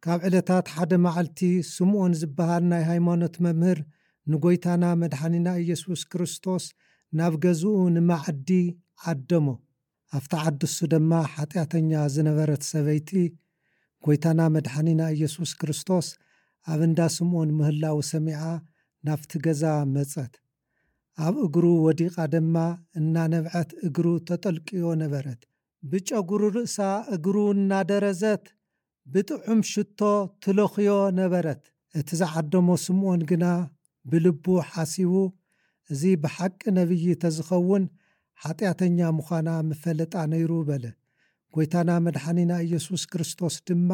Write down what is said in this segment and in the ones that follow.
ካብ ዕለታት ሓደ መዓልቲ፣ ስምዖን ዝበሃል ናይ ሃይማኖት መምህር ንጎይታና መድሓኒና ኢየሱስ ክርስቶስ ናብ ገዝኡ ንማዕዲ ዓደሞ። ኣብቲ ዓዲ እሱ ድማ ሓጢኣተኛ ዝነበረት ሰበይቲ፣ ጎይታና መድሓኒና ኢየሱስ ክርስቶስ ኣብ እንዳ ስምዖን ምህላው ሰሚዓ፣ ናብቲ ገዛ መጸት። ኣብ እግሩ ወዲቓ ድማ እናነብዐት እግሩ ተጠልቅዮ ነበረት። ብጨጉሩ ርእሳ እግሩ እናደረዘት ብጥዑም ሽቶ ትለኽዮ ነበረት። እቲ ዝዓደሞ ስምዖን ግና ብልቡ ሓሲቡ፣ "እዚ ብሓቂ ነቢይ ተዝኸውን፣ ሓጢኣተኛ ምዃና ምፈለጣ ነይሩ" በለ። ጎይታና መድሓኒና ኢየሱስ ክርስቶስ ድማ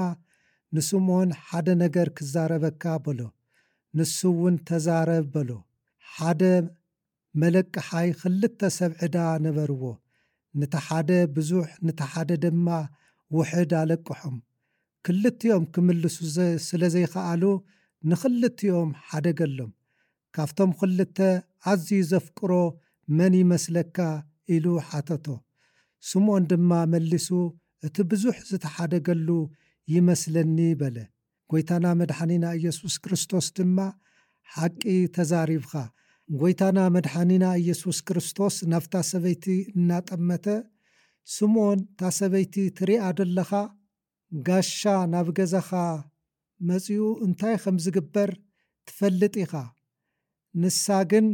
ንስምዖን፣ "ሓደ ነገር ክዛረበካ" በሎ። ንሱ እውን "ተዛረብ" በሎ። ሓደ መለቅሓይ ክልተ ሰብ ዕዳ ነበርዎ። ነቲ ሓደ ብዙሕ፣ ነቲ ሓደ ድማ ውሕድ ኣለቅሖም። ክልቲኦም ክምልሱ ዘ-፣ ስለ ዘይከኣሉ፣ ንኽልቲኦም ሓደገሎም። "ካብቶም ክልተ ኣዝዩ ዘፍቅሮ መን ይመስለካ?" ኢሉ ሓተቶ። ስምዖን ድማ መሊሱ፣ "እቲ ብዙሕ ዝተሓደገሉ ይመስለኒ" በለ። ጎይታና መድሓኒና ኢየሱስ ክርስቶስ ድማ፣ "ሓቂ ተዛሪብኻ።" ጎይታና መድሓኒና ኢየሱስ ክርስቶስ ናብታ ሰበይቲ እናጠመተ፣ "ስምዖን፣ እታ ሰበይቲ ትሪኣ ደለኻ? ጋሻ ናብ ገዛኻ መጺኡ እንታይ ከም ዝግበር ትፈልጥ ኢኻ። ንሳ ግን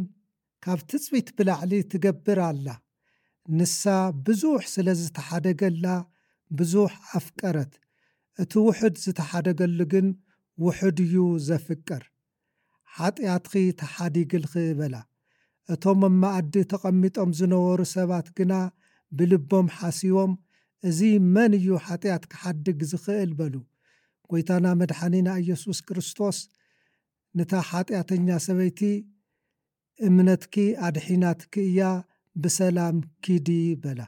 ካብ ትጽቢት ብላዕሊ ትገብር ኣላ። ንሳ ብዙሕ ስለ ዝተሓደገላ ብዙሕ ኣፍቀረት። እቲ ውሑድ ዝተሓደገሉ ግን ውሑድ እዩ ዘፍቅር። ሓጢኣትኺ ተሓዲግልኺ" በላ። እቶም ኣብ መኣዲ ተቐሚጦም ዝነበሩ ሰባት ግና ብልቦም ሓሲቦም፣ "እዚ መን እዩ ሓጢኣት ክሓድግ ዝኽእል?" በሉ። ጎይታና መድሓኒና ኢየሱስ ክርስቶስ ነታ ሓጢኣተኛ ሰበይቲ፣ "እምነትኪ ኣድሒናትኪ እያ፣ ብሰላም ኪዲ" በላ።